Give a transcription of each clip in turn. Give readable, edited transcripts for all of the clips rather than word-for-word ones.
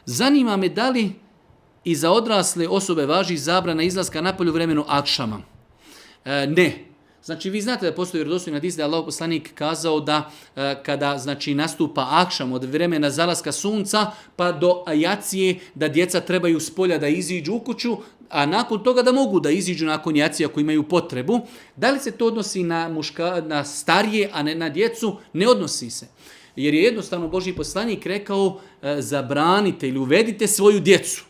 Zanima me da li i za odrasle osobe važi zabrana izlaska napolje u vremenu akšama. Ne. Znači, vi znate da postoji vjerodostojni hadis da je Allahov poslanik kazao da kada znači nastupa akšam od vremena zalaska sunca pa do jacije da djeca trebaju s polja da iziđu u kuću, a nakon toga da mogu da iziđu nakon jacije ako imaju potrebu. Da li se to odnosi na starije, a ne na djecu? Ne odnosi se. Jer je jednostavno Božji poslanik rekao zabranite ili uvedite svoju djecu.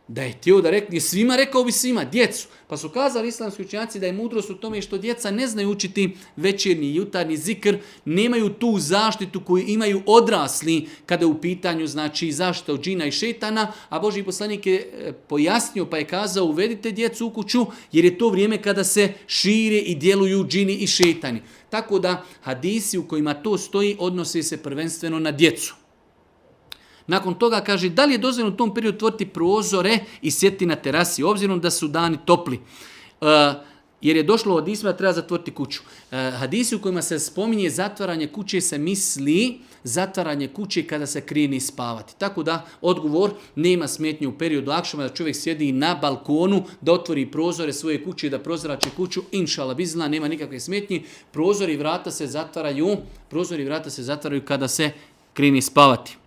Da je htio da rekne svima, rekao bi svima, djecu. Pa su kazali islamski učenjaci da je mudrost u tome što djeca ne znaju učiti večernji i jutarnji zikr, nemaju tu zaštitu koju imaju odrasli kada je u pitanju znači zaštita od džina i šetana, a Božji poslanik je pojasnio pa je kazao uvedite djecu u kuću jer je to vrijeme kada se šire i djeluju džini i šetani. Tako da hadisi u kojima to stoji odnose se prvenstveno na djecu. Nakon toga kaže da li je dozvoljeno u tom periodu otvoriti prozore i sjeti na terasi, obzirom da su dani topli. Jer je došlo od hadisa da treba zatvoriti kuću. Hadisi u kojima se spominje zatvaranje kuće se misli zatvaranje kuće kada se krene spavati. Tako da odgovor nema smetnje u periodu akšama da čovjek sjedi na balkonu, da otvori prozore svoje kuće i da prozrači kuću. Inšala bizla, nema nikakve smetnje. Prozori i vrata se zatvaraju kada se krene spavati.